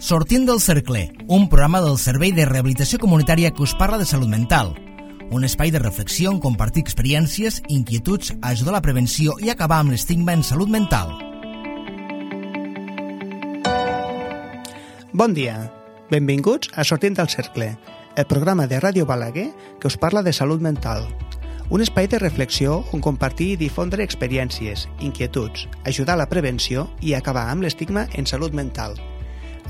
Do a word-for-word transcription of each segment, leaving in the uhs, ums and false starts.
Sortint del cercle, un programa del Servei de Rehabilitació Comunitària que us parla de salut mental. Un espai de reflexió on compartir experiències, inquietuds, ajudar a la prevenció i acabar amb l'estigma en salut mental. Bon dia, benvinguts a Sortint del cercle, el programa de Ràdio Balaguer que us parla de salut mental. Un espai de reflexió on compartir i difondre experiències, inquietuds, ajudar a la prevenció i acabar amb l'estigma en salut mental.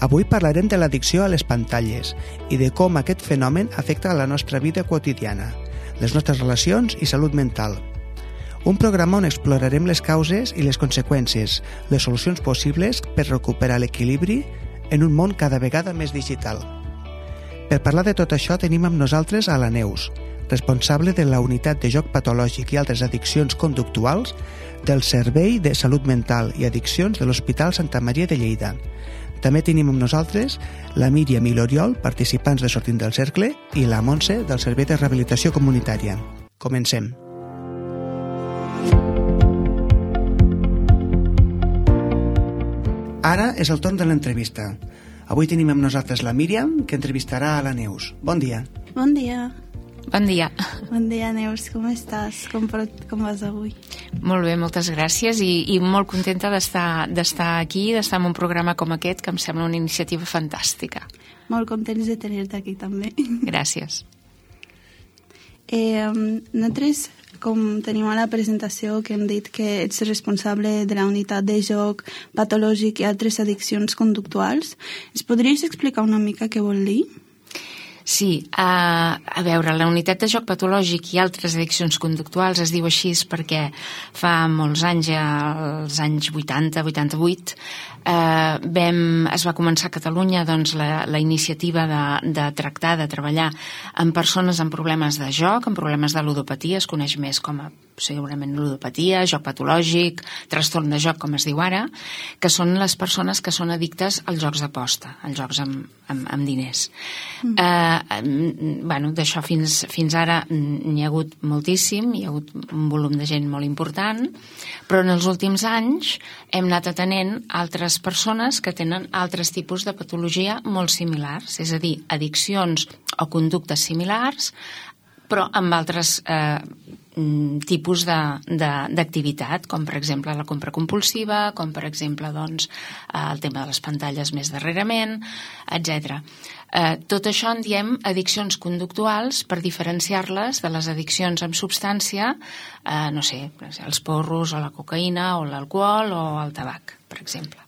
Avui parlarem de l'addicció a les pantalles i de com aquest fenomen afecta la nostra vida quotidiana, les nostres relacions i salut mental. Un programa on explorarem les causes i les conseqüències, les solucions possibles per recuperar l'equilibri en un món cada vegada més digital. Per parlar de tot això tenim amb nosaltres a la Neus, responsable de la Unitat de Joc Patològic i altres addiccions conductuals del Servei de Salut Mental i Addiccions de l'Hospital Santa Maria de Lleida. També tenim amb nosaltres la Míriam i l'Oriol, participants de Sortint del Cercle, i la Montse, del Servei de Rehabilitació Comunitària. Comencem. Ara és el torn de l'entrevista. Avui tenim amb nosaltres la Míriam, que entrevistarà a la Neus. Bon dia. Bon dia. Bon dia. Bon dia, Neus. Com estàs? Com, com vas avui? Molt bé, moltes gràcies i, i molt contenta d'estar d'estar aquí, d'estar en un programa com aquest, que em sembla una iniciativa fantàstica. Molt contents de tenir-te aquí, també. Gràcies. Eh, nosaltres, com tenim a la presentació, que hem dit que ets responsable de la unitat de joc patològic i altres addiccions conductuals, ens podries explicar una mica què vol dir? Sí, a, a veure, la unitat de joc patològic i altres addiccions conductuals es diu així perquè fa molts anys, als anys vuitanta vuitanta-vuit, eh, vam, es va començar a Catalunya doncs, la, la iniciativa de, de tractar, de treballar amb persones amb problemes de joc, amb problemes de ludopatia, es coneix més com a segurament ludopatia, joc patològic, trastorn de joc, com es diu ara, que són les persones que són addictes als jocs d'aposta, als jocs amb, amb, amb diners. Mm. Eh, bueno, d'això fins, fins ara n'hi ha hagut moltíssim, hi ha hagut un volum de gent molt important, però en els últims anys hem anat atenent altres persones que tenen altres tipus de patologia molt similars, és a dir, addiccions o conductes similars, però amb altres eh, tipus d'activitat, com per exemple la compra compulsiva, com per exemple doncs, el tema de les pantalles més darrerament, etcètera. Eh, tot això en diem addiccions conductuals per diferenciar-les de les addiccions amb substància, eh, no sé, els porros o la cocaïna o l'alcohol o el tabac, per exemple.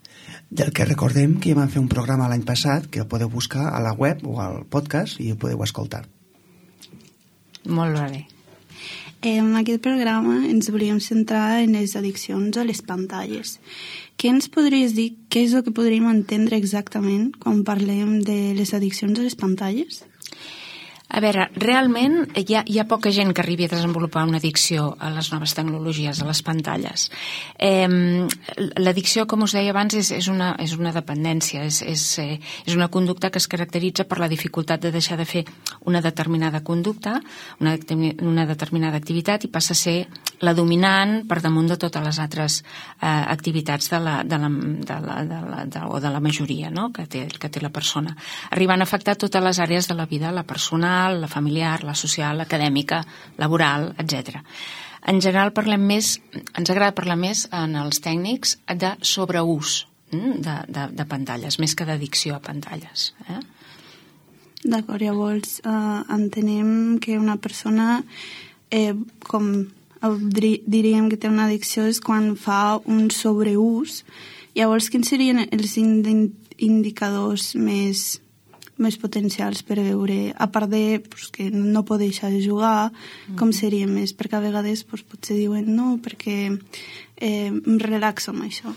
Del que recordem que ja vam fer un programa l'any passat que el podeu buscar a la web o al podcast i ho podeu escoltar. Molt bé. En aquest programa ens volíem centrar en les addiccions a les pantalles. Què ens podries dir, què és el que podríem entendre exactament quan parlem de les addiccions a les pantalles? A veure, realment hi ha, hi ha poca gent que arribi a desenvolupar una addicció a les noves tecnologies, a les pantalles. Eh, L'addicció, com us deia abans, és, és, una, és una dependència, és, és, eh, és una conducta que es caracteritza per la dificultat de deixar de fer una determinada conducta, una, una determinada activitat, i passa a ser la dominant per damunt de totes les altres eh, activitats de la, de la, de la, de la, de, o de la majoria, no?, que té, que té la persona, arribant a afectar totes les àrees de la vida, la personal, la familiar, la social, l'acadèmica, laboral, etcètera. En general parlem més, ens agrada parlar més en els tècnics de sobreús de, de, de pantalles, més que d'addicció a pantalles. Eh? D'acord, llavors eh, entenem que una persona, eh, com diríem que té una addicció, és quan fa un sobreús. Llavors, quins serien els indicadors més... més potencials per veure, a part de pues, que no pot deixar de jugar, mm. com seria més? Perquè a vegades pues, potser diuen no, perquè eh, em relaxo amb això.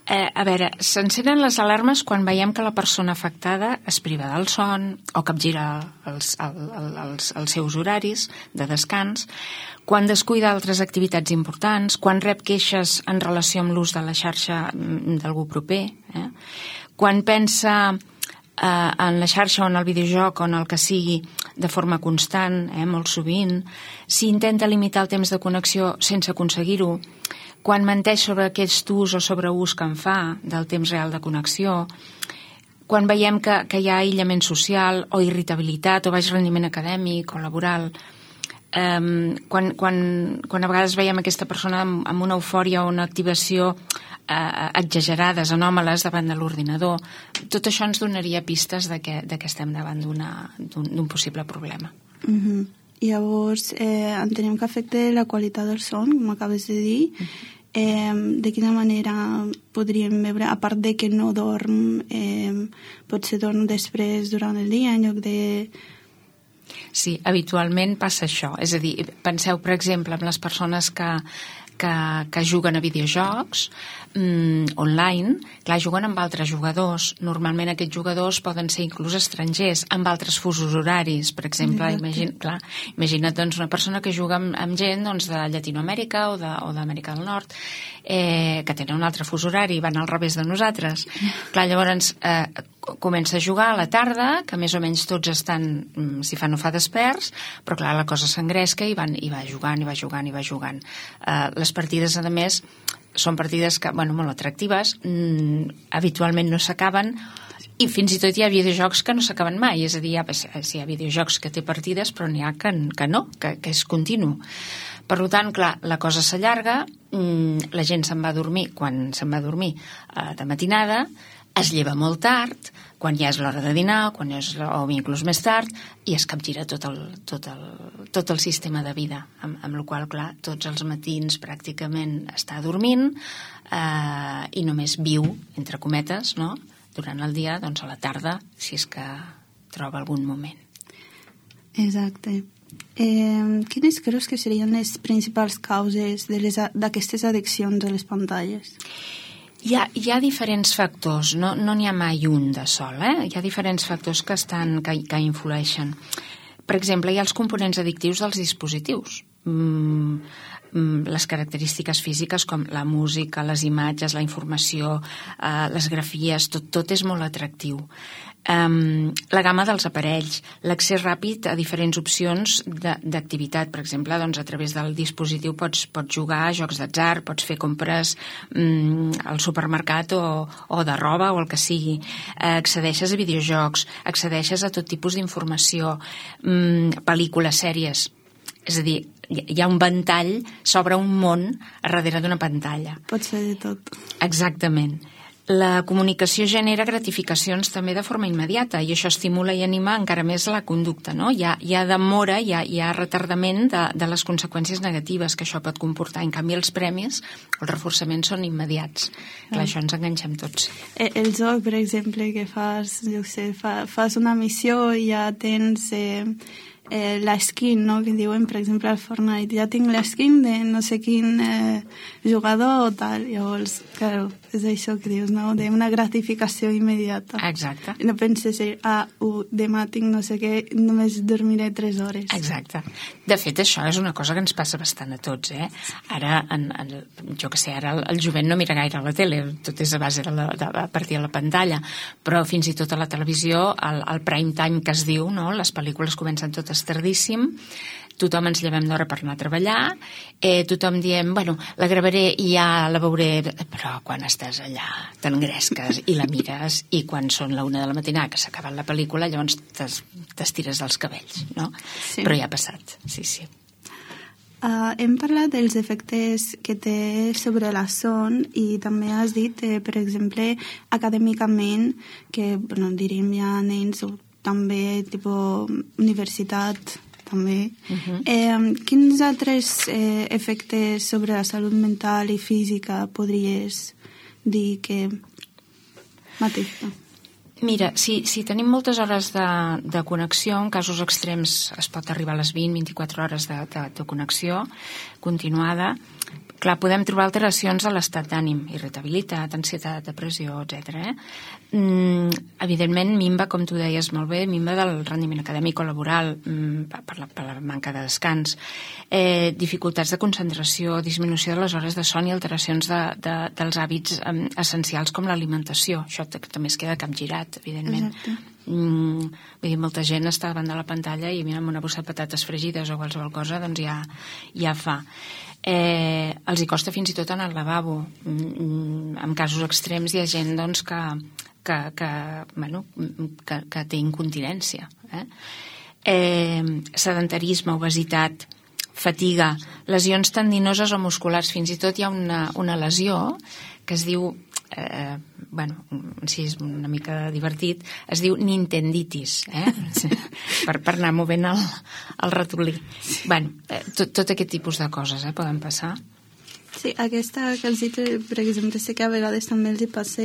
Eh, a veure, s'encenen les alarmes quan veiem que la persona afectada es priva del son o capgira els, el, el, els, els seus horaris de descans, quan descuida altres activitats importants, quan rep queixes en relació amb l'ús de la xarxa d'algú proper, eh? Quan pensa en la xarxa o en el videojoc o en el que sigui de forma constant, eh, molt sovint, si intenta limitar el temps de connexió sense aconseguir-ho, quan menteix sobre aquest ús o sobreús que en fa del temps real de connexió, quan veiem que, que hi ha aïllament social o irritabilitat o baix rendiment acadèmic o laboral, eh, quan, quan, quan a vegades veiem aquesta persona amb, amb una eufòria o una activació eh, exagerades, anòmales davant de l'ordinador, tot això ens donaria pistes de que, de que estem davant d'un possible problema. Mm-hmm. Llavors, eh, entenem que afecta la qualitat del son, com acabes de dir. Eh, de quina manera podríem veure, a part de que no dorm, eh, potser dorm després durant el dia en lloc de... Sí, habitualment passa això. És a dir, penseu, per exemple, en les persones que, que, que juguen a videojocs mm, online, clar, juguen amb altres jugadors. Normalment aquests jugadors poden ser inclús estrangers, amb altres fusos horaris. Per exemple, imagina, clar, imagina't doncs, una persona que juga amb, amb gent doncs, de Llatinoamèrica o d'Amèrica del Nord, eh, que tenen un altre fus horari, van al revés de nosaltres. Clar, llavors eh, comença a jugar a la tarda, que més o menys tots estan, si fa no fa, desperts, però clar, la cosa s'engresca i, van, i va jugant, i va jugant, i va jugant. Eh, les partides, a més, són partides que, bueno, molt atractives, mm, habitualment no s'acaben, i fins i tot hi ha videojocs que no s'acaben mai, és a dir, hi ha, si hi ha videojocs que té partides, però n'hi ha que, que no, que, que és continu. Per tant, clar, la cosa s'allarga, mm, la gent se'n va a dormir quan se'n va a dormir eh, de matinada, es lleva molt tard, quan ja és l'hora de dinar, quan és, o inclús més tard, i es capgira tot el, tot el, tot el sistema de vida, amb, amb la qual cosa, clar, tots els matins pràcticament està dormint eh, i només viu, entre cometes, no?, durant el dia, doncs a la tarda, si és que troba algun moment. Exacte. Eh, quines creus que serien les principals causes d'aquestes addiccions a les pantalles? Hi ha, hi ha diferents factors, no n'hi no ha mai un de sol, eh? Hi ha diferents factors que, estan, que, que influeixen. Per exemple, hi ha els components addictius dels dispositius. Mm, les característiques físiques com la música, les imatges, la informació, eh, les grafies, tot, tot és molt atractiu. Um, la gamma dels aparells, l'accés ràpid a diferents opcions d'activitat, per exemple, doncs a través del dispositiu pots, pots jugar a jocs d'atzar, pots fer compres um, al supermercat o, o de roba o el que sigui, uh, accedeixes a videojocs, accedeixes a tot tipus d'informació, um, pel·lícules, sèries, és a dir, hi ha un ventall sobre un món a darrere d'una pantalla. Pot ser de tot. Exactament. La comunicació genera gratificacions també de forma immediata i això estimula i anima encara més la conducta, no? Hi ha, hi ha demora, hi ha, hi ha retardament de, de les conseqüències negatives que això pot comportar. En canvi, els premis, els reforçaments són immediats. Clar, això ens enganxem tots. El, el joc, per exemple, que fas, jo sé, fa, fas una missió i ja tens... Eh... Eh, la skin, no?, que diuen, per exemple, al Fortnite, ja tinc la skin de no sé quin eh, jugador o tal. Llavors, claro, és això que dius, no?, d'una gratificació immediata. Exacte. No penses, ah, uh, demà tinc no sé què, només dormiré tres hores. Exacte. De fet, això és una cosa que ens passa bastant a tots, eh? Ara, en, en, jo que sé, ara el, el jovent no mira gaire a la tele, tot és a base de la, de, a partir de la pantalla, però fins i tot a la televisió, el, el prime time que es diu, no?, les pel·lícules comencen totes tardíssim, tothom ens llevem d'hora per anar a treballar, eh, tothom diem, bueno, la gravaré i ja la veuré, però quan estàs allà t'engresques i la mires i quan són la una de la matinada que s'ha acabat la pel·lícula llavors t'estires dels cabells, no? Sí. Però ja ha passat, sí, sí. Uh, hem parlat dels efectes que té sobre la son i també has dit, eh, per exemple, acadèmicament, que, bueno, diríem ja nens o també tipus universitat també. Uh-huh. Eh, quins altres eh, efectes sobre la salut mental i física podries dir que m'afecta? Mira, si, si tenim moltes hores de, de connexió, en casos extrems es pot arribar a les vint a vint-i-quatre hores de, de, de connexió continuada, clar, podem trobar alteracions a l'estat d'ànim, irritabilitat, ansietat, depressió, etcètera. Eh? Mm, evidentment, minva, com tu deies molt bé, minva del rendiment acadèmic o laboral mm, per, la, per la manca de descans, eh, dificultats de concentració, disminució de les hores de son i alteracions de, de, dels hàbits eh, essencials com l'alimentació. Això també es queda capgirat. edat, evidentment. Exacte. Mm, vull dir, molta gent està davant de la pantalla i mira, amb una bossa de patates fregides o qualsevol cosa, doncs ja, ja fa. Eh, els hi costa fins i tot anar al lavabo. Mm, en casos extrems hi ha gent doncs, que, que, que, bueno, que, que té incontinència. Eh? Eh, sedentarisme, obesitat, fatiga, lesions tendinoses o musculars. Fins i tot hi ha una, una lesió que es diu, eh, bueno, si és una mica divertit, es diu nintenditis, eh? per, per anar movent el, el ratolí. Bueno, eh, tot, tot aquest tipus de coses eh, poden passar. Sí, aquesta que els dit, per exemple, sé que a vegades també els hi passa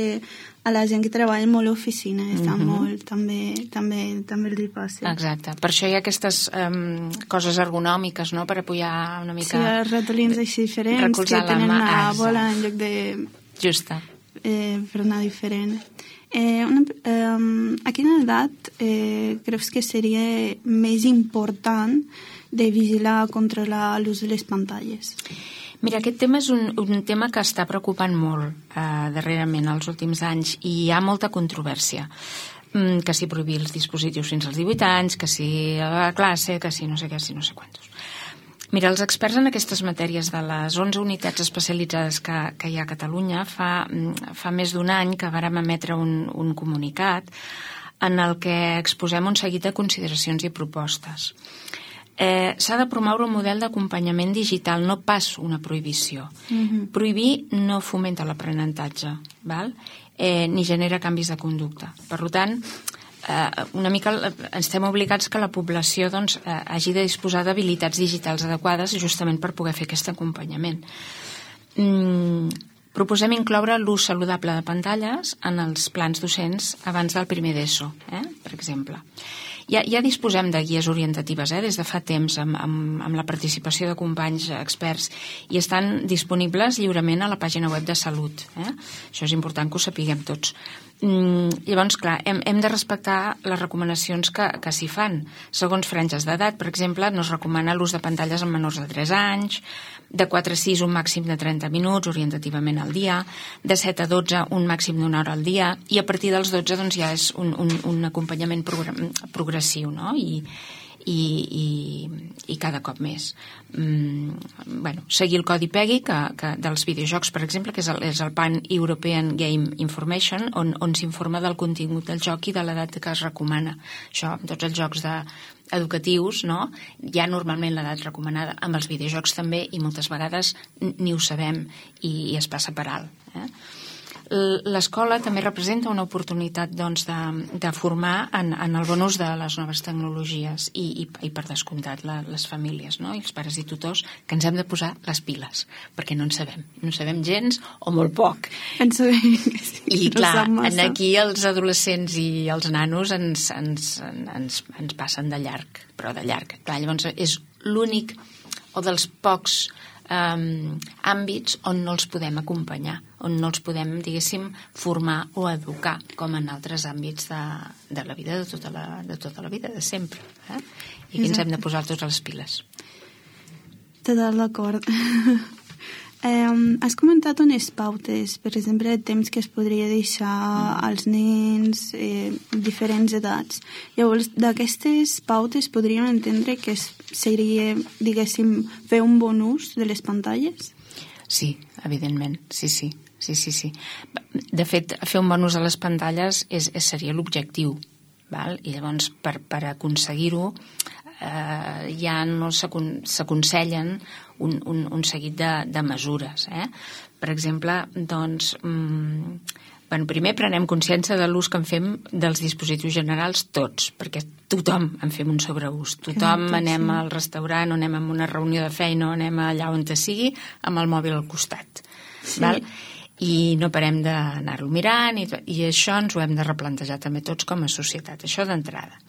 a la gent que treballa molt a oficina, està mm-hmm. molt, també, també, també els hi passa. Exacte, per això hi ha aquestes um, coses ergonòmiques, no?, per apoyar una mica... Sí, els ratolins així diferents, que tenen la una bola en lloc de... Justa. Eh, per anar diferent. Eh, una, eh, a quina edat eh, creus que seria més important de vigilar, controlar l'ús de les pantalles? Mira, aquest tema és un, un tema que està preocupant molt eh, darrerament, els últims anys, i hi ha molta controvèrsia. Mm, que si prohibir els dispositius fins als divuit anys, que si a la classe, que si no sé què, si no sé quantos. Mira, els experts en aquestes matèries de les onze unitats especialitzades que, que hi ha a Catalunya fa, fa més d'un any que vàrem emetre un, un comunicat en el que exposem un seguit de consideracions i propostes. Eh, s'ha de promoure un model d'acompanyament digital, no pas una prohibició. Mm-hmm. Prohibir no fomenta l'aprenentatge, val? Eh, ni genera canvis de conducta. Per tant, eh, una mica estem obligats que la població doncs, eh, hagi de disposar d'habilitats digitals adequades justament per poder fer aquest acompanyament. Mm, proposem incloure l'ús saludable de pantalles en els plans docents abans del primer d'ESO, eh, per exemple. Ja, ja disposem de guies orientatives eh, des de fa temps amb, amb, amb la participació de companys experts i estan disponibles lliurement a la pàgina web de Salut. Eh? Això és important que ho sapiguem tots. Mm, llavors, clar, hem, hem de respectar les recomanacions que, que s'hi fan. Segons franges d'edat, per exemple, no es recomana l'ús de pantalles en menors de tres anys, de quatre a sis un màxim de trenta minuts orientativament al dia, de set a dotze un màxim d'una hora al dia, i a partir dels dotze doncs, ja és un, un, un acompanyament progressiu, no? I, i, i, i cada cop més. Mm, bueno, seguir el codi PEGI que, que dels videojocs, per exemple, que és el, és el Pan European Game Information, on, on s'informa del contingut del joc i de l'edat que es recomana. Això, tots els jocs de, educatius, no? Hi ha normalment l'edat recomanada, amb els videojocs també, i moltes vegades ni ho sabem i, i es passa per alt. Eh? L'escola també representa una oportunitat doncs, de, de formar en, en el bon ús de les noves tecnologies i, i, i per descomptat la, les famílies, no? I els pares i tutors, que ens hem de posar les piles, perquè no en sabem, no en sabem gens o molt poc. En sabem que sí. I clar, en aquí els adolescents i els nanos ens, ens, ens, ens passen de llarg, però de llarg. Clar, llavors és l'únic o dels pocs Um, àmbits on no els podem acompanyar, on no els podem, diguéssim, formar o educar, com en altres àmbits de, de la vida, de tota la, de tota la vida, de sempre. Eh? I aquí ens hem de posar tots les piles. Total d'acord. Eh, has comentat unes pautes, per exemple, de temps que es podria deixar als nens, eh, diferents edats. Llavors, d'aquestes pautes podríem entendre que seria, diguéssim, fer un bon ús de les pantalles? Sí, evidentment, sí, sí. sí, sí, sí. De fet, fer un bon ús de les pantalles és, és, seria l'objectiu, val? I llavors, per, per aconseguir-ho, eh, ja no s'aconsellen un, un, un seguit de, de mesures. Eh? Per exemple, doncs, mm, bueno, primer prenem consciència de l'ús que en fem dels dispositius generals tots, perquè tothom en fem un sobreús. Tothom Clar, anem sí. al restaurant o anem a una reunió de feina o anem allà on te sigui amb el mòbil al costat. Sí. Val? I no parem d'anar-lo mirant i, i això ens ho hem de replantejar també tots com a societat, això d'entrada.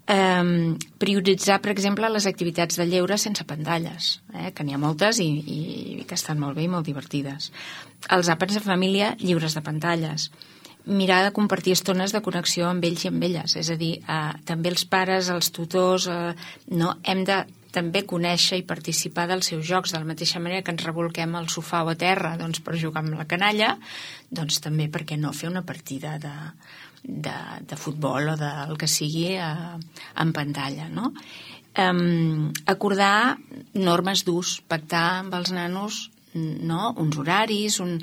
Um, prioritzar, per exemple, les activitats de lleure sense pantalles, eh, que n'hi ha moltes i, i, i que estan molt bé i molt divertides. Els àpats de família lliures de pantalles. Mirar de compartir estones de connexió amb ells i amb elles, és a dir, eh, també els pares, els tutors, eh, no, hem de també conèixer i participar dels seus jocs, de la mateixa manera que ens revolquem al sofà o a terra doncs, per jugar amb la canalla, doncs també, per què no fer una partida de, de, de futbol o del que sigui a, en pantalla, no? Um, acordar normes d'ús, pactar amb els nanos, no? Uns horaris, un,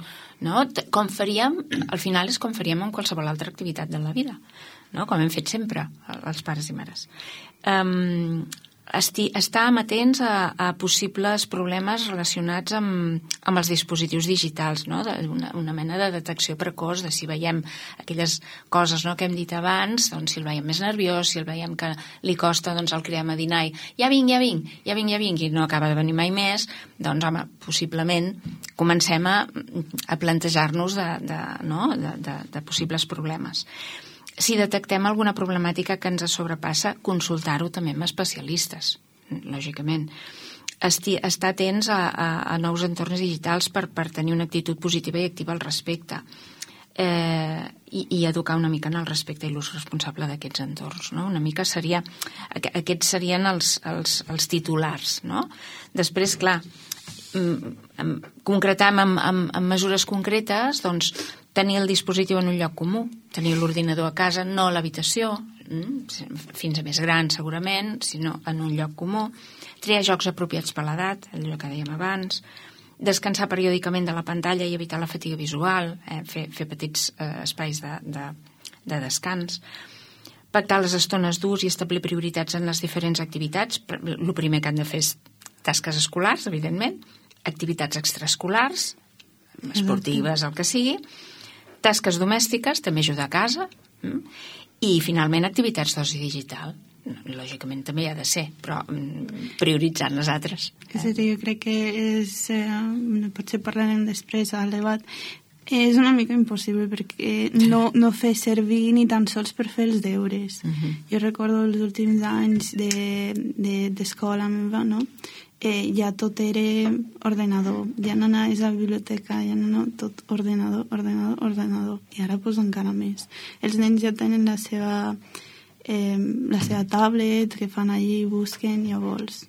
no? Com faríem, al final és com faríem en qualsevol altra activitat de la vida, no? Com hem fet sempre els pares i mares. Um, esti, estar amatents a, a possibles problemes relacionats amb, amb els dispositius digitals, no? Una, una mena de detecció precoç de si veiem aquelles coses, no, que hem dit abans, doncs si el veiem més nerviós, si el veiem que li costa, doncs el cridem a dinar i ja vinc, ja vinc, ja vinc, ja vinc, i no acaba de venir mai més, doncs home, possiblement comencem a, a plantejar-nos de, de, no? de, de, de possibles problemes. Si detectem alguna problemàtica que ens sobrepassa, consultar-ho també amb especialistes, lògicament. Esti, estar atents a, a, a nous entorns digitals per, per tenir una actitud positiva i activa al respecte. Eh, i, i educar una mica en el respecte i l'ús responsable d'aquests entorns, no? Una mica seria... Aquests serien els, els, els titulars, no? Després, clar, concretam amb, amb, amb mesures concretes, doncs, tenir el dispositiu en un lloc comú, tenir l'ordinador a casa, no a l'habitació, fins a més gran segurament, sinó en un lloc comú, triar jocs apropiats per l'edat, allò que dèiem abans, descansar periòdicament de la pantalla i evitar la fatiga visual, eh, fer, fer petits eh, espais de, de, de descans, pactar les estones d'ús i establir prioritats en les diferents activitats. El primer que han de fer és tasques escolars, evidentment, activitats extraescolars, esportives, el que sigui, tasques domèstiques, també ajudar a casa, i finalment activitats d'oci digital. Lògicament també hi ha de ser, però prioritzant les altres. És a dir, jo crec que és, eh, potser parlarem després al debat, és una mica impossible perquè no, no fer servir ni tan sols per fer els deures. Uh-huh. Jo recordo els últims anys d'escola de, de, meva, no? Eh, ja tot era ordenador, ja no anaves a la biblioteca, ja no, tot ordenador, ordenador, ordenador, i ara pues encara més. Els nens ja tenen la seva, eh, la seva tablet, que fan allí, busquen, llavors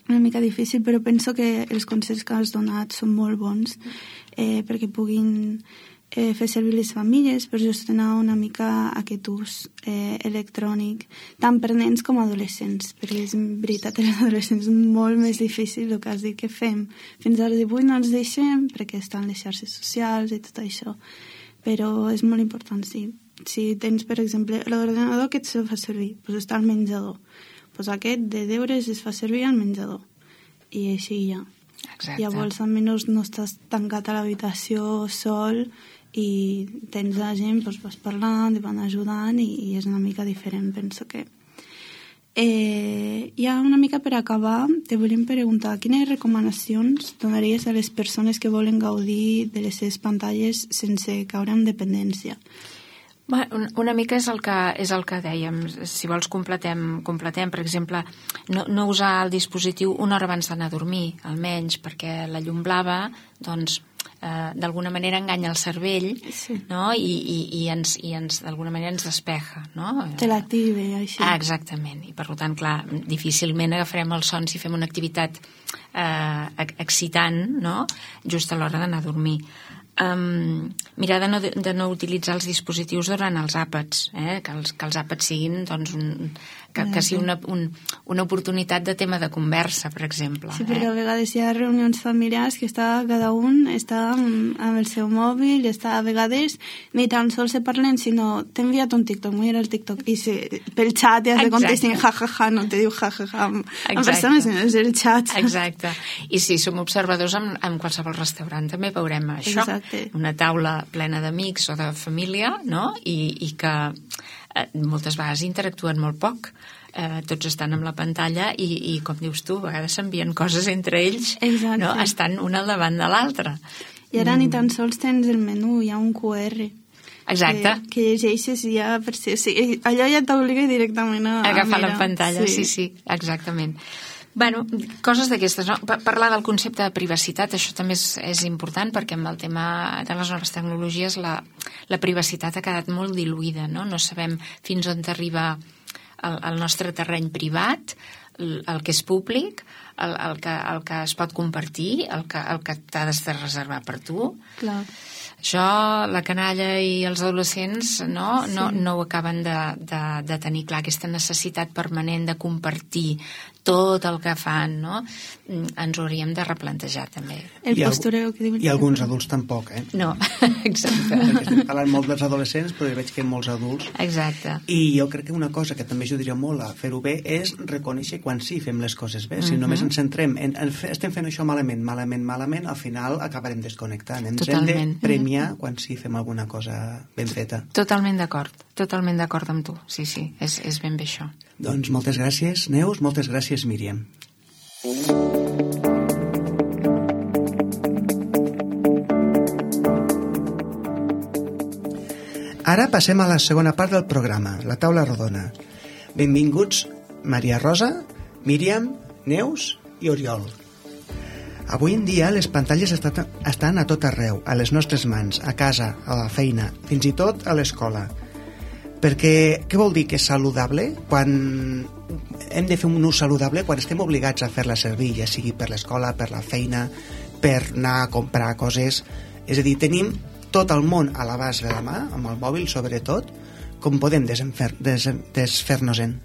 una mica difícil, però penso que els consells que has donat són molt bons eh, perquè puguin eh, fer servir les famílies per gestionar una mica aquest ús eh, electrònic, tant per nens com adolescents, perquè és veritat que els adolescents és molt més difícil el que has dit que fem. Fins als divuit no els deixem perquè estan les xarxes socials i tot això, però és molt important, sí. Si tens, per exemple, l'ordenador que et se fa servir, doncs està al menjador. Pues aquest de deures es fa servir al menjador i així ja. Exacte. Llavors almenys no estàs tancat a l'habitació sol i tens la gent, doncs vas parlant i van ajudant i, i és una mica diferent, penso que eh, ja una mica per acabar te volem preguntar quines recomanacions donaries a les persones que volen gaudir de les seves pantalles sense caure en dependència? Bueno, una mica és el que, és el que dèiem, si vols completem, completem per exemple, no, no usar el dispositiu una hora abans d'anar a dormir, almenys, perquè la llum blava, doncs, eh, d'alguna manera enganya el cervell, sí. No? I, i, i, ens, i ens, d'alguna manera ens despeja, no? Te l'active, així. Ah, exactament, i per tant, clar, difícilment agafarem el son si fem una activitat eh, excitant, no?, just a l'hora d'anar a dormir. Um, mirar de no, de no utilitzar els dispositius durant els àpats, eh? que, els, que els àpats siguin doncs, un, que, que sigui una, un, una oportunitat de tema de conversa, per exemple. Sí, perquè eh? a vegades hi ha reunions familiars que està, cada un està amb, amb el seu mòbil, està a vegades ni tan sols se parlen, sinó t'he enviat un TikTok, mira el TikTok, i se, pel xat ja se contestin ja, ja, ja, no te diu ja, ja, ja, amb, amb persones, sinó és el xat. Exacte. I si som observadors en, en qualsevol restaurant també veurem això. Exacte. Una taula plena d'amics o de família, no? I, i que eh, moltes vegades interactuen molt poc. Eh, tots estan amb la pantalla i, i com dius tu, a vegades s'envien coses entre ells, no? Estan una al davant de l'altra. I ara mm. ni tan sols tens el menú, hi ha un cu erre. Exacte. Que, que llegeixes i ja per si... O sigui, allò ja t'obliga directament a... agafar la pantalla, sí, sí, sí, exactament. Bueno, coses d'aquestes, no? Parlar del concepte de privacitat, això també és, és important perquè amb el tema de les noves tecnologies la, la privacitat ha quedat molt diluïda, no? No sabem fins on arriba el, el nostre terreny privat, el, el que és públic, el, el, que, el que es pot compartir, el que, el que t'has de reservar per tu. Clar. Això, la canalla i els adolescents no, sí. no, no ho acaben de, de, de tenir clar, aquesta necessitat permanent de compartir tot el que fan, no? Ens ho hauríem de replantejar, també. El postureo que diuen. I alguns adults tampoc, eh? No, exacte. Estem parlant molt dels adolescents, però veig que hi ha molts adults. Exacte. I jo crec que una cosa que també ajudaria molt a fer-ho bé és reconèixer quan sí fem les coses bé. Si uh-huh. només ens centrem en, en estem fent això malament, malament, malament, al final acabarem desconnectant. Ens Totalment. hem de premiar quan sí fem alguna cosa ben feta. Totalment d'acord, totalment d'acord amb tu. Sí, sí, és, és ben bé això. Doncs moltes gràcies, Neus, moltes gràcies, Míriam. Ara passem a la segona part del programa, la taula rodona. Benvinguts Maria Rosa, Míriam, Neus i Oriol. Avui en dia les pantalles estan a tot arreu, a les nostres mans, a casa, a la feina, fins i tot a l'escola. Perquè què vol dir que és saludable? Quan hem de fer un ús saludable quan estem obligats a fer-la servir, ja sigui per l'escola, per la feina, per anar a comprar coses. És a dir, tenim tot el món a l'abast de la mà, amb el mòbil sobretot, com podem desfer-nos-en?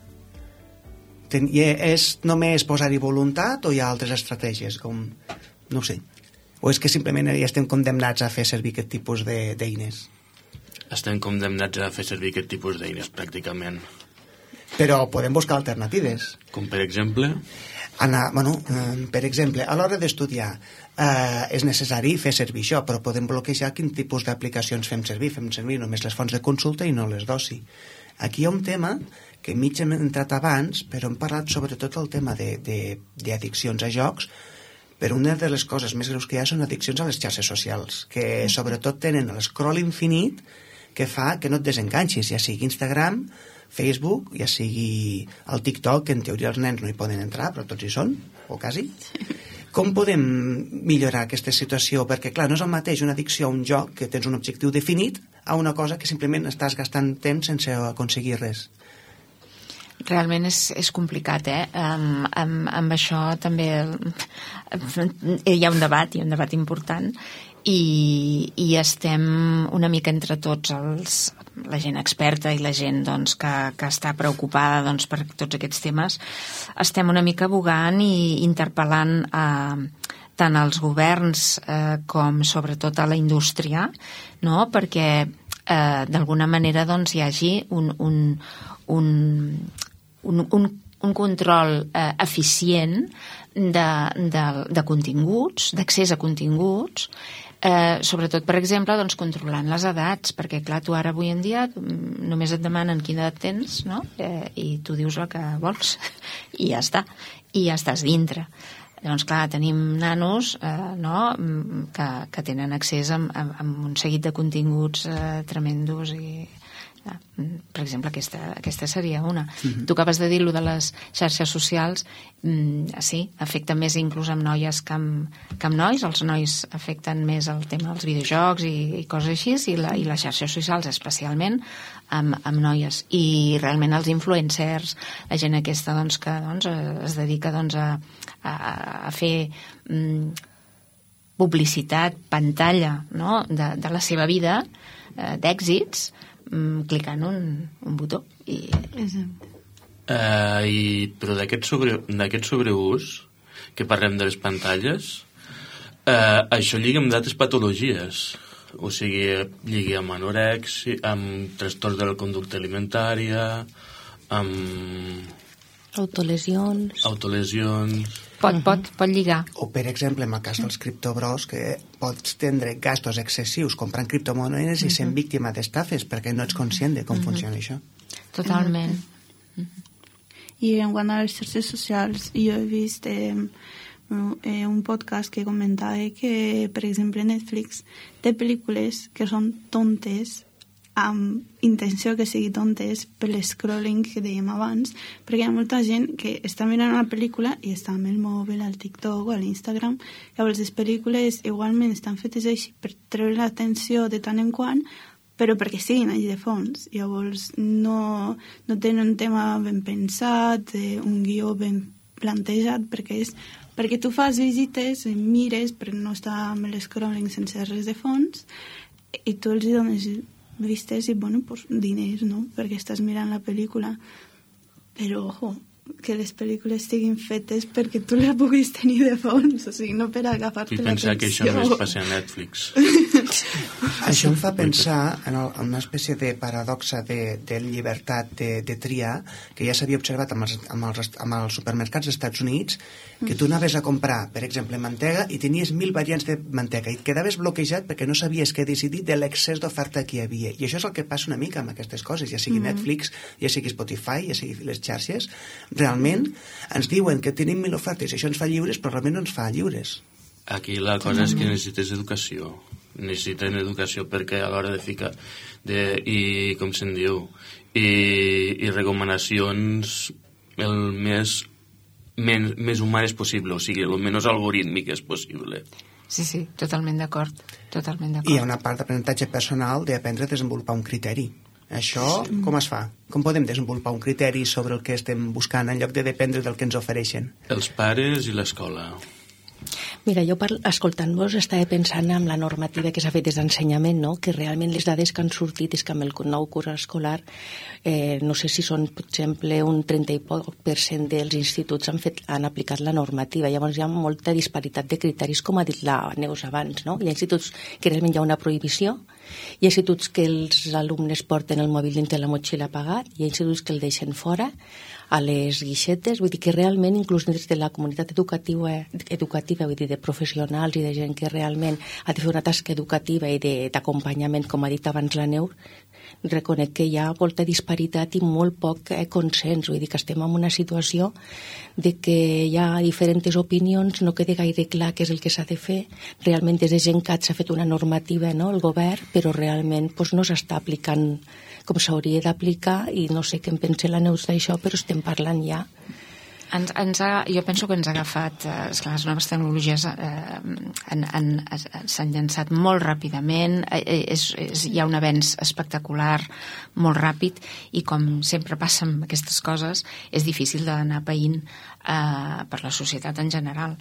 És només posar-hi voluntat o hi ha altres estratègies? Com... No ho sé. O és que simplement ja estem condemnats a fer servir aquest tipus d'eines? Estem condemnats a fer servir aquest tipus d'eines, pràcticament. Però podem buscar alternatives. Com per exemple? Anar, bueno, eh, per exemple, a l'hora d'estudiar eh, és necessari fer servir això, però podem bloquejar quin tipus d'aplicacions fem servir. Fem servir només les fonts de consulta i no les d'oci. Aquí hi ha un tema que mig hem entrat abans, però hem parlat sobretot del tema d'addiccions a jocs, però una de les coses més greus que hi ha són addiccions a les xarxes socials, que sobretot tenen l'escroll infinit que fa que no et desenganxis, ja sigui Instagram, Facebook, ja sigui el TikTok, que en teoria els nens no hi poden entrar, però tots hi són, o quasi. Com podem millorar aquesta situació? Perquè, clar, no és el mateix una addicció a un joc, que tens un objectiu definit, a una cosa que simplement estàs gastant temps sense aconseguir res. Realment és, és complicat, eh? Um, amb, amb això també hi ha un debat, hi ha un debat important, i, i estem una mica entre tots els, la gent experta i la gent doncs, que, que està preocupada doncs, per tots aquests temes, estem una mica bugant i interpel·lant a tant als governs eh, com sobretot a la indústria, no? Perquè eh, d'alguna manera doncs, hi hagi un, un, un, un, un, un control eh, eficient de, de, de continguts, d'accés a continguts, eh, sobretot, per exemple, doncs, controlant les edats, perquè, clar, tu ara avui en dia només et demanen quina edat tens, no? Eh, i tu dius el que vols, i ja està, i ja estàs dintre. Llavors, clar, tenim nanos eh, no? que, que tenen accés a, a, a un seguit de continguts eh, tremendos i... Per exemple, aquesta, aquesta seria una. Uh-huh. Tu acabes de dir lo de les xarxes socials, mm, sí, afecta més inclús amb noies que amb, que amb nois. Els nois afecten més el tema dels videojocs i, i coses així, i, la, i les xarxes socials especialment amb, amb noies. I realment els influencers, la gent aquesta doncs, que doncs, es dedica doncs, a, a, a fer mm, publicitat, pantalla, no? de, de la seva vida, eh, d'èxits, clicant un, un botó i... Uh, i però d'aquest sobre, d'aquest sobreús que parlem de les pantalles, uh, això lliga amb d'altres patologies, o sigui, lliga amb anorèxia, amb trastorns de la conducta alimentària, amb... Autolesions. Autolesions... Pot, pot, pot lligar. O, per exemple, en el cas dels criptobros, que pots tindre gastos excessius comprant criptomonedes uh-huh. i sent víctima d'estafes perquè no ets conscient de com uh-huh. funciona això. Totalment. Uh-huh. I en quant a les xarxes socials, jo he vist eh, eh, un podcast que comentava que, per exemple, Netflix té pel·lícules que són tontes amb intenció que sigui tontes per l'escrolling que dèiem abans, perquè hi ha molta gent que està mirant una pel·lícula i està amb el mòbil, al TikTok o a l'Instagram. Llavors les pel·lícules igualment estan fetes així per treure l'atenció de tant en quant, però perquè siguin allí de fons. Llavors no, no tenen un tema ben pensat, un guió ben plantejat, perquè és perquè tu fas visites, mires, però no està amb l'escrolling sense res de fons, i tu els dones vistes i, bueno, pues, diners, no?, perquè estàs mirant la pel·lícula. Però, ojo, que les pel·lícules estiguin fetes perquè tu les puguis tenir de fons, o sigui, no per agafar-te l'atenció. I pensar que això no es passa a Netflix. Això em fa pensar en, el, en una espècie de paradoxa de, de llibertat de, de triar, que ja s'havia observat amb els, amb, els, amb els supermercats dels Estats Units, que tu anaves a comprar, per exemple, mantega i tenies mil variants de mantega i et quedaves bloquejat perquè no sabies què decidir de l'excés d'oferta que hi havia. I això és el que passa una mica amb aquestes coses, ja sigui mm-hmm. Netflix, ja sigui Spotify, ja sigui les xarxes. Realment ens diuen que tenim mil ofertes i això ens fa lliures, però realment no ens fa lliures. Aquí la cosa és que necessites educació. Necessiten educació perquè a l'hora de ficar de, i com se'n diu i, i recomanacions el més, men, més humanes possible, o sigui, el menys algorítmiques possible. Sí, sí, totalment d'acord, totalment d'acord. I hi ha una part d'aprenentatge personal d'aprendre a desenvolupar un criteri. Això sí. Com es fa? Com podem desenvolupar un criteri sobre el que estem buscant en lloc de dependre del que ens ofereixen? Els pares i l'escola. Mira, jo escoltant-vos estava pensant en la normativa que s'ha fet des d'ensenyament, no? Que realment les dades que han sortit és que amb el nou curs escolar eh, no sé si són, per exemple, un trenta i poc per cent dels instituts han, fet, han aplicat la normativa. Llavors hi ha molta disparitat de criteris, com ha dit la Neus abans, no? Hi ha instituts que realment hi ha una prohibició, hi ha instituts que els alumnes porten el mòbil dintre la motxilla apagat, hi ha instituts que el deixen fora a les guixetes, vull dir que realment inclús des de la comunitat educativa, educativa vull dir, de professionals i de gent que realment ha de fer una tasca educativa i d'acompanyament, com ha dit abans la Neus, reconec que hi ha molta disparitat i molt poc eh, consens, vull dir que estem en una situació de que hi ha diferents opinions, no queda gaire clar què és el que s'ha de fer, realment des de GenCat s'ha fet una normativa, no?, el govern, però realment doncs, no s'està aplicant com s'hauria d'aplicar i no sé què en pensa la Neus d'això, però estem parlant ja. Ens, ens ha, jo penso que ens ha agafat, eh, esclar, les noves tecnologies eh, en, en, s'han llançat molt ràpidament, eh, és, és, hi ha un avenç espectacular molt ràpid i com sempre passa amb aquestes coses és difícil d'anar païnt eh, per la societat en general.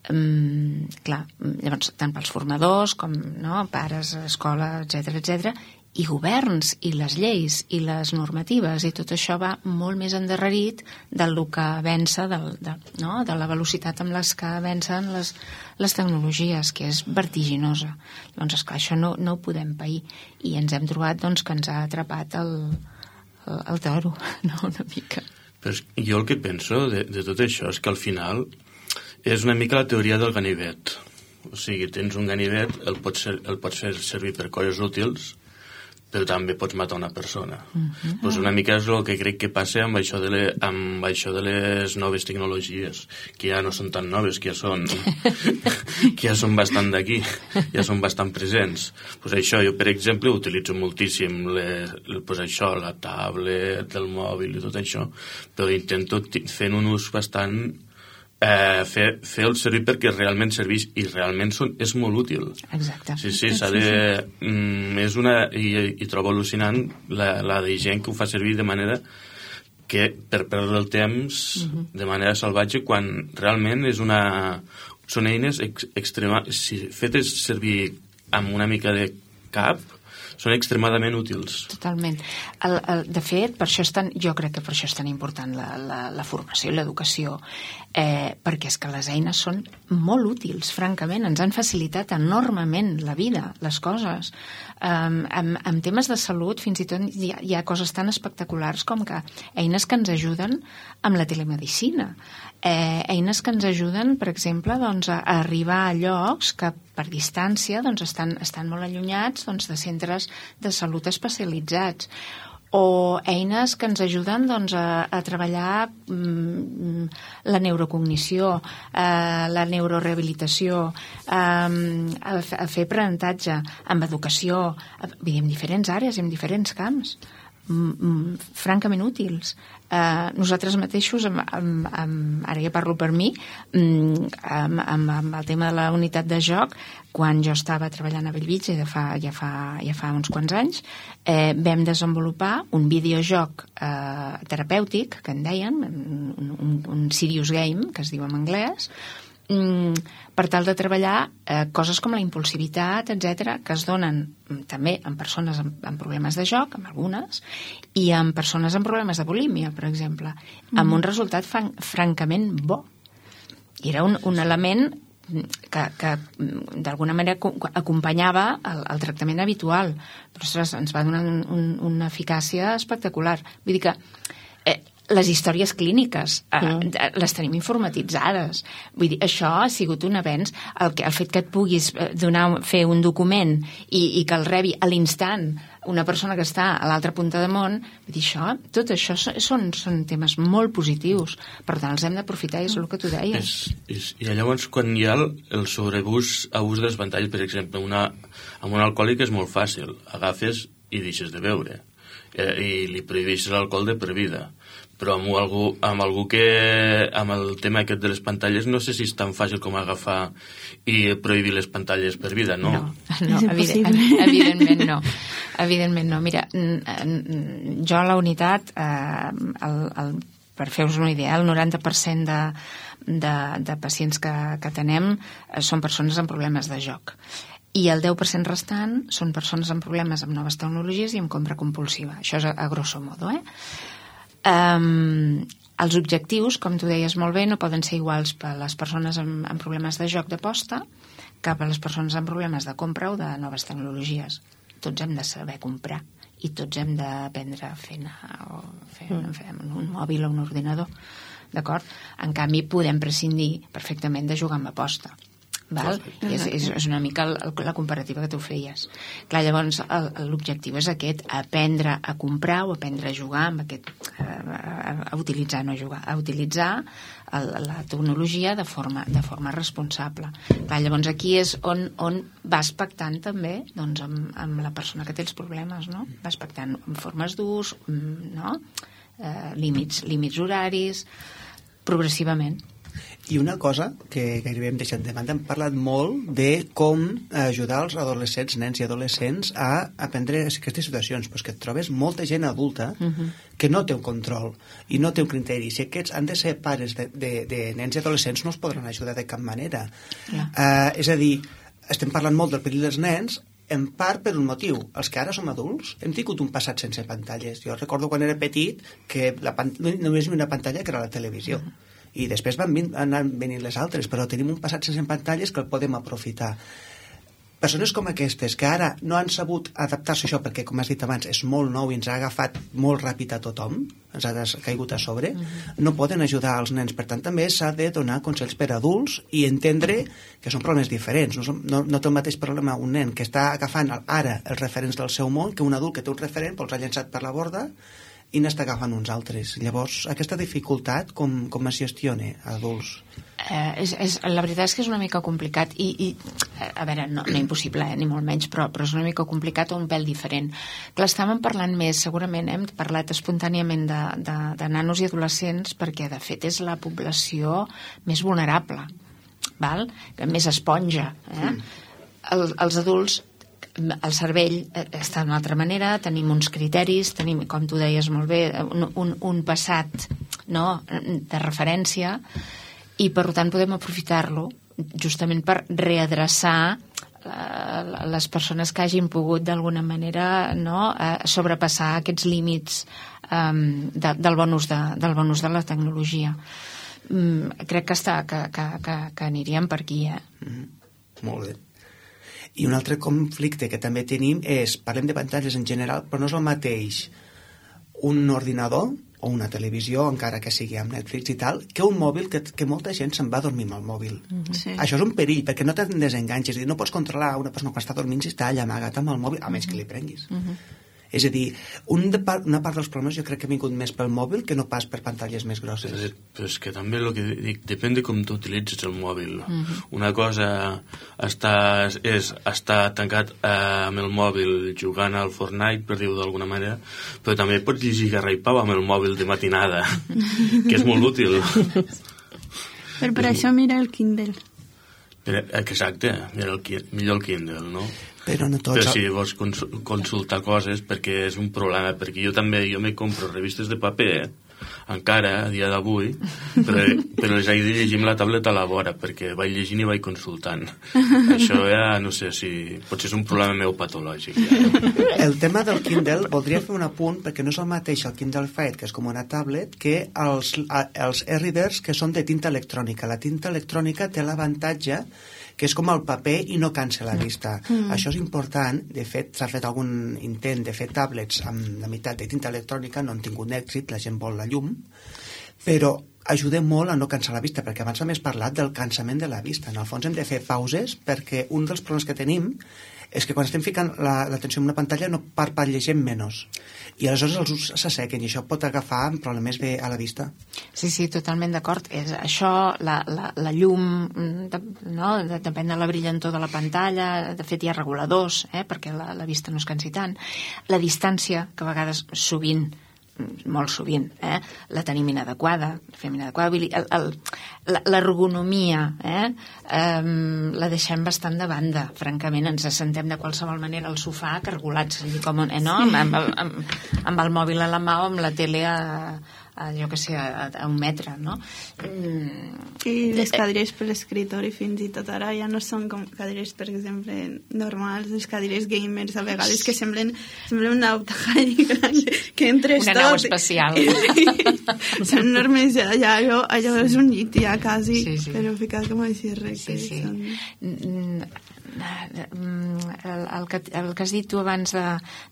Um, clar, llavors tant pels formadors com no, pares, escola, etcètera, etcètera, i governs, i les lleis, i les normatives, i tot això va molt més endarrerit del que avança, del, de, no? de la velocitat amb les que avancen les, les tecnologies, que és vertiginosa. Doncs, esclar, això no, no ho podem pair. I ens hem trobat doncs, que ens ha atrapat el, el, el toro, no? Una mica. Però jo el que penso de, de tot això és que al final és una mica la teoria del ganivet. O sigui, tens un ganivet, el pots, ser, el pots fer servir per coses útils, però també pots matar una persona. Uh-huh. Pues una mica és el que crec que passa amb això, de le, amb això de les noves tecnologies, que ja no són tan noves, que ja són, que ja són bastant d'aquí, ja són bastant presents. Pues això, jo, per exemple, utilitzo moltíssim le, pues això, la tablet, el mòbil i tot això, però intento fent un ús bastant Eh, fer, fer el servir perquè realment serveix i realment són, és molt útil. Exacte. Sí, sí, s'ha de... Mm, és una... I, i trobo al·lucinant la, la de gent que ho fa servir de manera que per perdre el temps uh-huh. de manera salvatge quan realment és una... Són eines ex, extrema... Si fetes servir amb una mica de cap, són extremadament útils. Totalment. El, el, de fet, per això és tan, jo crec que per això és tan important la, la, la formació i l'educació, eh, perquè és que les eines són molt útils, francament. Ens han facilitat enormement la vida, les coses. Um, en, en temes de salut, fins i tot hi ha, hi ha coses tan espectaculars com que eines que ens ajuden amb la telemedicina. Eh, eines que ens ajuden, per exemple, doncs, a, a arribar a llocs que per distància doncs, estan, estan molt allunyats doncs, de centres de salut especialitzats, o eines que ens ajuden doncs, a, a treballar mm, la neurocognició, eh, la neurorehabilitació, eh, a, a fer aprenentatge amb educació, a, en diferents àrees, en diferents camps. mm, francament útils. Uh, nosaltres mateixos, amb, amb, amb, ara ja parlo per mi, mm, amb, amb, amb el tema de la unitat de joc, quan jo estava treballant a Bellvitge ja fa, ja fa, ja fa uns quants anys, eh, vam desenvolupar un videojoc eh, terapèutic, que en deien, un, un, un serious game, que es diu en anglès, mm, per tal de treballar eh, coses com la impulsivitat, etcètera, que es donen mm, també en persones amb, amb problemes de joc, amb algunes, i en persones amb problemes de bulímia, per exemple, mm. amb un resultat fan, francament bo. I era un, un element que, que d'alguna manera acompanyava el, el tractament habitual, però ostres, ens va donar un, un, una eficàcia espectacular. Vull dir que eh, les històries clíniques eh, mm. les tenim informatitzades. Vull dir, això ha sigut un avenç. El, que, el fet que et puguis donar, fer un document i, i que el rebi a l'instant una persona que està a l'altra punta del món, vull dir, això, tot això són, són temes molt positius. Per tant, els hem d'aprofitar, és el que tu deies. És, és, I llavors, quan hi ha el, el sobreabús abús de les pantalles, per exemple, una, amb un alcohòlic és molt fàcil. Agafes i deixes de beure. Eh, I li prohibeixes l'alcohol de per vida. Però amb algú, amb algú que amb el tema aquest de les pantalles no sé si és tan fàcil com agafar i prohibir les pantalles per vida, no? No, no evident, evidentment no. Evidentment no. Mira, jo a la unitat, eh, el, el, per fer-vos una idea, el noranta per cent de, de, de pacients que, que tenem són persones amb problemes de joc. I el deu per cent restant són persones amb problemes amb noves tecnologies i amb compra compulsiva. Això és a, a grosso modo, eh? Um, els objectius, com tu deies molt bé, no poden ser iguals per a les persones amb, amb problemes de joc d'aposta que per a les persones amb problemes de compra o de noves tecnologies. Tots hem de saber comprar i tots hem d'aprendre a fer, o fer, mm. fer un mòbil o un ordinador, d'acord? En canvi, podem prescindir perfectament de jugar amb aposta. Val? I és, és, és una mica el, la comparativa que tu feies. Clar, llavors l'objectiu és aquest, aprendre a comprar o aprendre a jugar amb aquest, a, a utilitzar, no a jugar, a utilitzar el, la tecnologia de forma, de forma responsable. Clar, llavors aquí és on, on vas pactant també doncs, amb, amb la persona que té els problemes, no? Vas pactant amb formes d'ús, no? eh, límits, límits horaris, progressivament. I una cosa que gairebé hem deixat de banda, hem parlat molt de com ajudar els adolescents, nens i adolescents a aprendre aquestes situacions, però que et trobes molta gent adulta uh-huh. que no té un control i no té un criteri. Si aquests han de ser pares de, de, de nens i adolescents no els podran ajudar de cap manera. Yeah. Uh, és a dir, estem parlant molt del perill dels nens, en part per un motiu. Els que ara som adults hem tingut un passat sense pantalles. Jo recordo quan era petit que la pan... només hi havia una pantalla que era la televisió. Uh-huh. I després van vin, anar venint les altres, però tenim un passat sense pantalles que el podem aprofitar. Persones com aquestes, que ara no han sabut adaptar-se a això, perquè, com has dit abans, és molt nou i ens ha agafat molt ràpid a tothom, ens ha caigut a sobre, uh-huh. no poden ajudar els nens. Per tant, també s'ha de donar consells per adults i entendre que són problemes diferents. No, som, no, no té el mateix problema un nen que està agafant ara els referents del seu món que un adult que té un referent, però els ha llançat per la borda i n'està agafant uns altres. Llavors, aquesta dificultat, com, com es gestiona a adults? Eh, és, és, la veritat és que és una mica complicat i, i a veure, no, no impossible, eh, ni molt menys, però, però és una mica complicat o un pèl diferent. Clar, estàvem parlant més, segurament hem parlat espontàniament de, de, de nanos i adolescents perquè, de fet, és la població més vulnerable, val? Més esponja. Eh? Mm. El, els adults, el cervell està d'una altra manera, tenim uns criteris, tenim, com tu deies molt bé, un, un, un passat, no?, de referència, i per tant podem aprofitar-lo justament per readreçar uh, les persones que hagin pogut d'alguna manera, no?, uh, sobrepassar aquests límits um, de, del, bon ús de, del bon ús de la tecnologia. Um, crec que, està, que, que, que, que aniríem per aquí, eh? Mm, molt bé. I un altre conflicte que també tenim és, parlem de pantalles en general, però no és el mateix un ordinador o una televisió, encara que sigui amb Netflix i tal, que un mòbil, que, que molta gent se'n va a dormir amb el mòbil. Mm-hmm. Sí. Això és un perill, perquè no te'n desenganxes, no pots controlar una persona quan està dormint si està allà amagat amb el mòbil, a menys que li prenguis. Mm-hmm. És a dir, un de part, una part dels problemes jo crec que ha vingut més pel mòbil que no pas per pantalles més grosses. Però, però és que també el que dic, depèn de com tu utilitzes el mòbil. Mm-hmm. Una cosa està, és estar tancat eh, amb el mòbil jugant al Fortnite, per dir-ho d'alguna manera, però també pots llegir Garra i Pau amb el mòbil de matinada, que és molt útil. Però per això mira el Kindle. Exacte, mira el, millor el Kindle, no? Però no tots... Però si vols consultar coses, perquè és un problema, perquè jo també, jo me compro revistes de paper, encara, a dia d'avui, però, però les haig de llegir amb la tableta a la vora, perquè vaig llegint i vaig consultant. Això ja, no sé si... potser és un problema meu patològic. Ja. El tema del Kindle, voldria fer un apunt, perquè no és el mateix el Kindle Fire, que és com una tablet, que els, els e-readers que són de tinta electrònica. La tinta electrònica té l'avantatge que és com el paper i no cansa la vista. Mm. Això és important. De fet, s'ha fet algun intent de fer tablets amb la meitat de tinta electrònica, no han tingut èxit, la gent vol la llum, però ajuda molt a no cansar la vista, perquè abans hem parlat del cansament de la vista. En el fons hem de fer pauses, perquè un dels problemes que tenim és que quan estem ficant l'atenció en una pantalla no parpallegem menys. I aleshores els ulls s'assequen i això pot agafar problemes bé a la vista. Sí, sí, totalment d'acord. És això, la, la, la llum, de, no? Depèn de la brillantor de la pantalla, de fet hi ha reguladors, eh? Perquè la, la vista no es cansi tant. La distància, que a vegades sovint molt sovint, eh? La tenim inadequada, fem inadequada, l'ergonomia, eh? Um, la deixem bastant de banda, francament, ens assentem de qualsevol manera al sofà cargolats, com, eh, no? amb, amb, amb, amb el mòbil a la mà o amb la tele a, a jo que sé, a, a un metre, no? Mm. I les cadires per l'escriptori fins i tot ara ja no són com cadires, per exemple, normals, les cadires gamers a vegades que semblen, semblen una autojari que entres una tot. Una nau espacial. Són enormes, ja, allò, allò és un llit ja quasi, sí, sí. Però ficat com així recte. Sí, sí. Són... El, el, que, el que has dit tu abans de,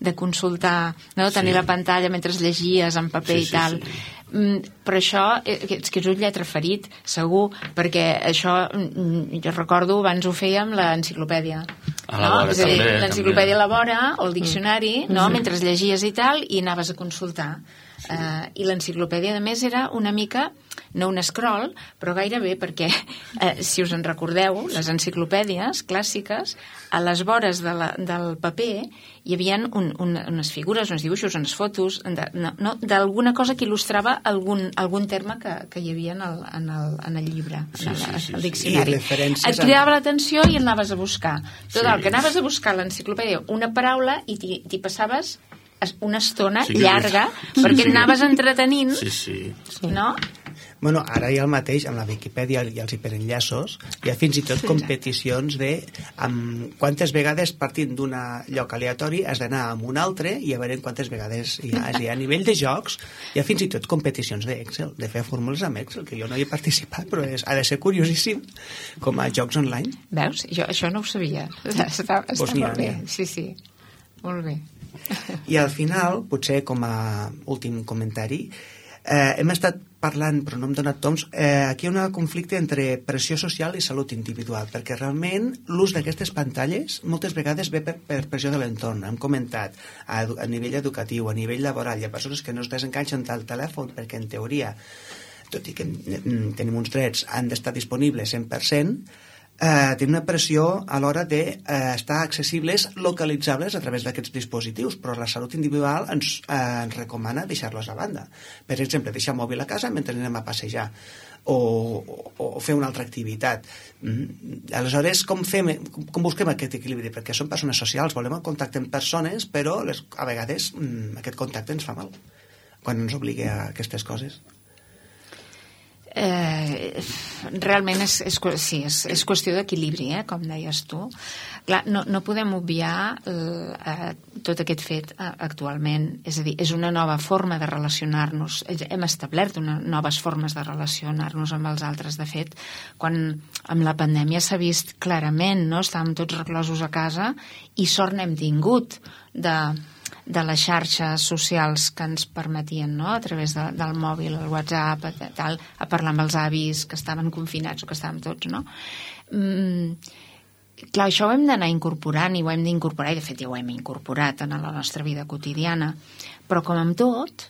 de consultar, no? Tenir sí. La pantalla mentre llegies en paper sí, i tal, sí, sí. Però això és que és un lletra ferit segur, perquè això jo recordo abans ho fèiem l'enciclopèdia, no? És a dir, l'enciclopèdia a la vora o el diccionari, mm. no? Mentre llegies i tal i anaves a consultar. Sí. Uh, i l'enciclopèdia a més era una mica, no un scroll, però gairebé perquè uh, si us en recordeu, les enciclopèdies clàssiques, a les vores de la, del paper hi havia un, un, unes figures, uns dibuixos, unes fotos de, no, no, d'alguna cosa que il·lustrava algun, algun terme que, que hi havia en el, en el, en el llibre, sí, en el, sí, sí, el diccionari. Et cridava l'atenció i anaves a buscar. Tot el sí. Que anaves a buscar a l'enciclopèdia una paraula i t'hi, t'hi passaves una estona sí, llarga sí, perquè sí. Anaves entretenint, sí, sí. No? Bueno, ara hi ha el mateix amb la Viquipèdia i els hiperenllaços, hi ha fins i tot competicions de amb quantes vegades partint d'un lloc aleatori has d'anar a un altre i a veure quantes vegades hi ha. És a dir, a nivell de jocs hi ha fins i tot competicions d'Excel, de fer fórmules amb Excel, que jo no hi he participat, però és, ha de ser curiosíssim com a jocs online. Veus? Jo això no ho sabia. Està, està pues molt bé. Sí, sí. Molt bé. I al final, potser com a últim comentari, eh, hem estat parlant, però no hem donat toms, eh, aquí hi ha un conflicte entre pressió social i salut individual, perquè realment l'ús d'aquestes pantalles moltes vegades ve per, per pressió de l'entorn. Hem comentat a, a nivell educatiu, a nivell laboral, hi ha persones que no es desenganxen del telèfon perquè en teoria, tot i que tenim uns drets, han d'estar disponibles cent per cent, Eh, té una pressió a l'hora d'estar eh, accessibles, localitzables a través d'aquests dispositius, però la salut individual ens, eh, ens recomana deixar-los a banda. Per exemple, deixar el mòbil a casa mentre anem a passejar o, o, o fer una altra activitat. Mm. Aleshores, com, fem, com busquem aquest equilibri? Perquè som persones socials, volem el contacte amb persones, però les, a vegades mm, aquest contacte ens fa mal quan ens obliga a aquestes coses. Eh, realment és, és, sí, és, és qüestió d'equilibri, eh, com deies tu. Clar, no, no podem obviar eh, tot aquest fet eh, actualment, és a dir, és una nova forma de relacionar-nos, hem establert una, noves formes de relacionar-nos amb els altres. De fet, quan amb la pandèmia s'ha vist clarament, no? Estàvem tots reclosos a casa i sort n'hem tingut de de les xarxes socials que ens permetien, no? A través de, del mòbil, el WhatsApp, tal, a parlar amb els avis que estaven confinats o que estàvem tots, no? Mm, clar, això ho hem d'anar incorporant i ho hem d'incorporar, i de fet ja ho hem incorporat en la nostra vida quotidiana, però com amb tot,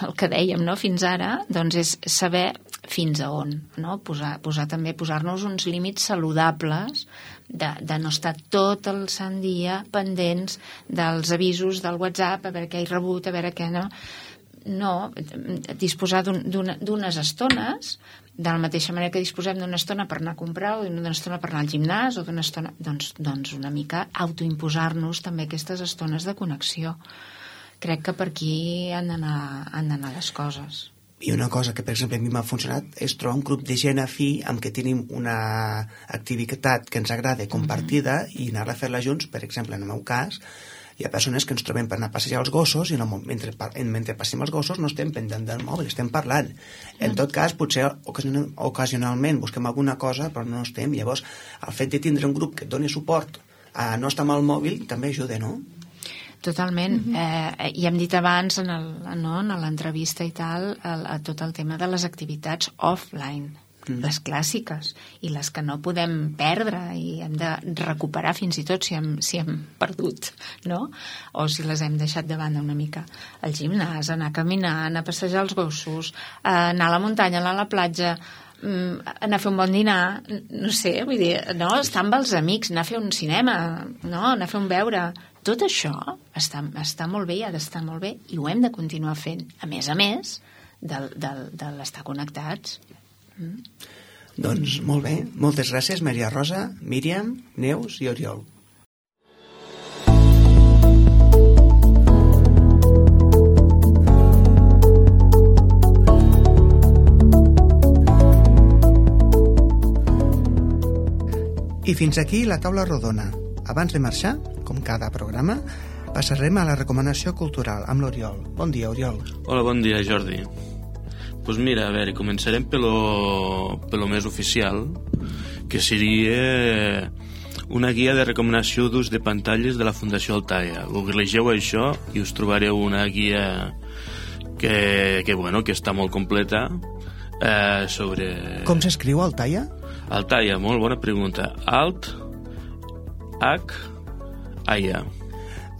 el que dèiem, no?, fins ara, doncs és saber fins a on, no? Posar, posar també, posar-nos uns límits saludables de, de no estar tot el sant dia pendents dels avisos del WhatsApp, a veure què he rebut, a veure què no. No, disposar d'unes estones, de la mateixa manera que disposem d'una estona per anar a comprar o d'una estona per anar al gimnàs o d'una estona, doncs, doncs una mica autoimposar-nos també aquestes estones de connexió. Crec que per aquí han d'anar han d'anar les coses. I una cosa que, per exemple, a mi m'ha funcionat és trobar un grup de gent afí amb què tenim una activitat que ens agrada compartida mm-hmm. i anar a fer-la junts. Per exemple, en el meu cas, hi ha persones que ens trobem per anar a passejar els gossos i no, mentre, mentre passem els gossos no estem pendent del mòbil, estem parlant. En tot cas, potser ocasionalment busquem alguna cosa, però no estem. Llavors, el fet de tindre un grup que et doni suport a no estar amb el mòbil també ajuda, no? Totalment. Mm-hmm. eh, I hem dit abans en el, no, en l'entrevista i tal el, a tot el tema de les activitats offline, mm. les clàssiques i les que no podem perdre i hem de recuperar fins i tot si hem, si hem perdut, no? O si les hem deixat de banda una mica. Al gimnàs, anar a caminar, anar a passejar els gossos, anar a la muntanya, anar a la platja, anar a fer un bon dinar, no sé, vull dir, no, estar amb els amics, anar a fer un cinema, no, anar a fer un beure. Tot això està, està molt bé i ha d'estar molt bé i ho hem de continuar fent, a més a més de, de, de l'estar connectats. Mm. Doncs molt bé, moltes gràcies Maria Rosa, Míriam, Neus i Oriol. I fins aquí la taula rodona. Abans de marxar, com cada programa, passarem a la recomanació cultural amb l'Oriol. Bon dia, Oriol. Hola, bon dia, Jordi. Doncs pues mira, a veure, començarem per lo més oficial, que seria una guia de recomanació d'ús de pantalles de la Fundació Altaia. Googlegeu això i us trobareu una guia que, que, bueno, que està molt completa eh, sobre... Com s'escriu Altaia? Altaia, molt bona pregunta. Alt, H, A, I, A.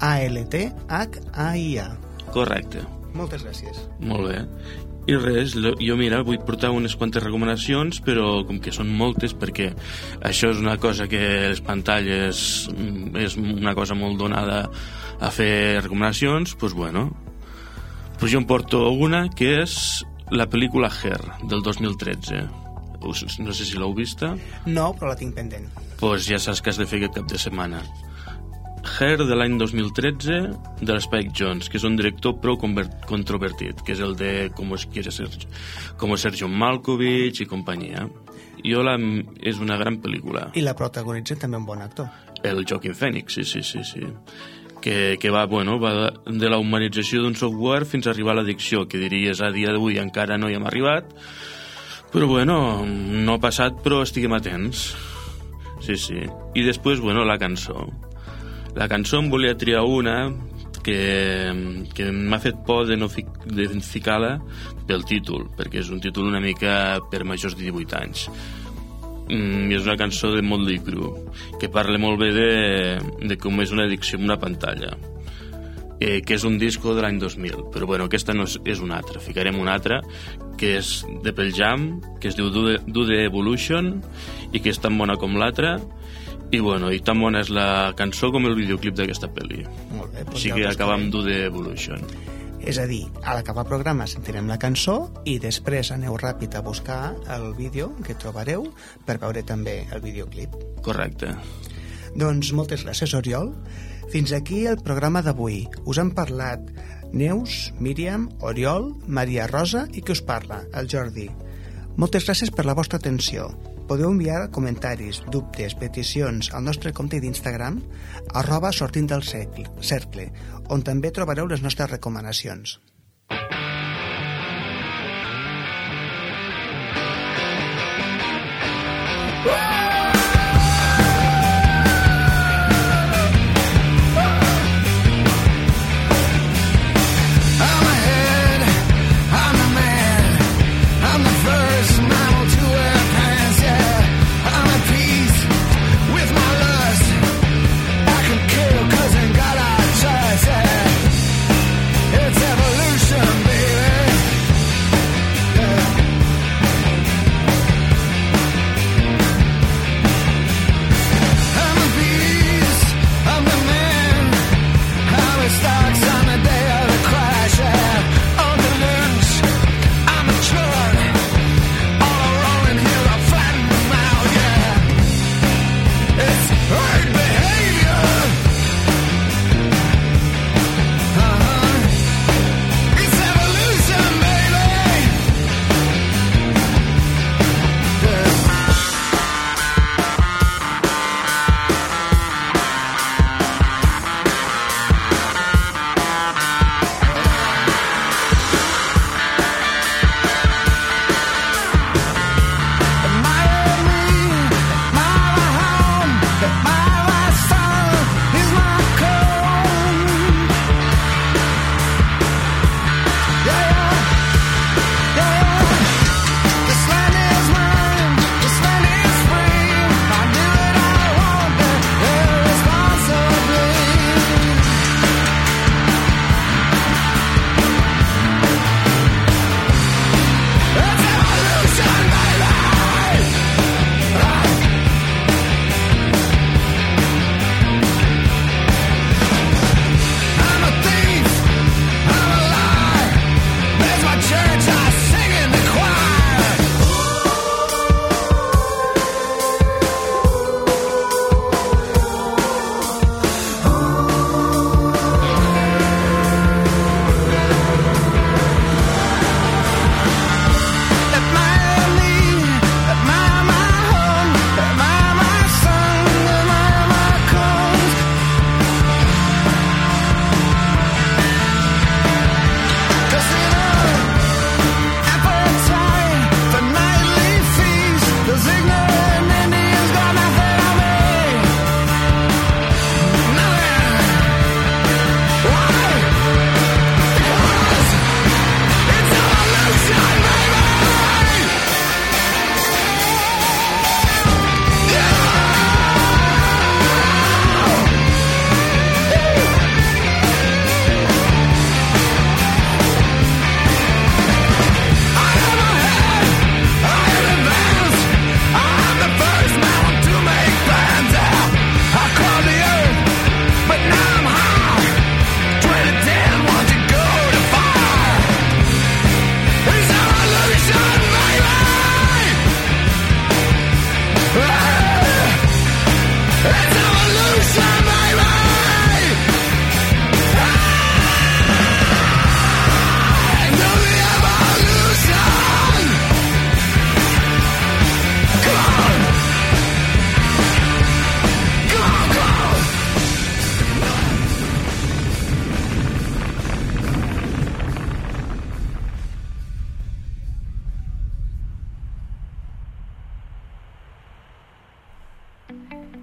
A, L, T, H, A, I, A. Correcte. Moltes gràcies. Molt bé. I res, jo mira, vull portar unes quantes recomanacions, però com que són moltes, perquè això és una cosa que les pantalles és una cosa molt donada a fer recomanacions, doncs bueno. Doncs jo em porto una que és la pel·lícula Her, del dos mil tretze. No sé si l'heu vista. No, però la tinc pendent. Doncs pues ja saps que has de fer aquest cap de setmana. Her, de l'any dos mil tretze, de l'Spike Jonze, que és un director prou controvertit, que és el de Como quiere ser, como ser John Malkovich i companyia. I la, és una gran pel·lícula. I la protagonitza també un bon actor. El Joaquin Phoenix, sí, sí, sí, sí. Que, que va, bueno, va de la humanització d'un software fins a arribar a l'addicció, que diries a dia d'avui encara no hi hem arribat, però bueno, no ha passat, però estiguem atents. Sí, sí. I després, bueno, la cançó. La cançó em volia triar una que, que m'ha fet por de no fi, de ficar-la pel títol, perquè és un títol una mica per majors de divuit anys. Mm, és una cançó de Motley Crue, que parla molt bé de, de com és una addicció a una pantalla. Eh, que és un disco de l'any dos mil, però bueno, aquesta no és, és una altra. Ficarem una altra, que és de Pearl Jam, que es diu Do the, Do the Evolution, i que és tan bona com l'altra, i bueno, i tan bona és la cançó com el videoclip d'aquesta pel·li. Molt bé, doncs així que acabem Do the Evolution. És a dir, a l'acabar el programa sentirem la cançó i després aneu ràpid a buscar el vídeo que trobareu per veure també el videoclip. Correcte. Doncs moltes gràcies, Oriol. Fins aquí el programa d'avui. Us han parlat Neus, Míriam, Oriol, Maria Rosa i qui us parla, el Jordi. Moltes gràcies per la vostra atenció. Podeu enviar comentaris, dubtes, peticions al nostre compte d'Instagram arroba sortint del cercle, on també trobareu les nostres recomanacions. With my love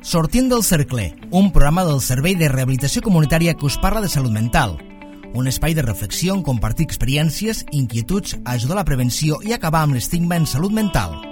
Sortint del cercle, un programa del Servei de Rehabilitació Comunitària que us parla de salut mental. Un espai de reflexió on compartir experiències, inquietuds, ajudar a la prevenció i acabar amb l'estigma en salut mental.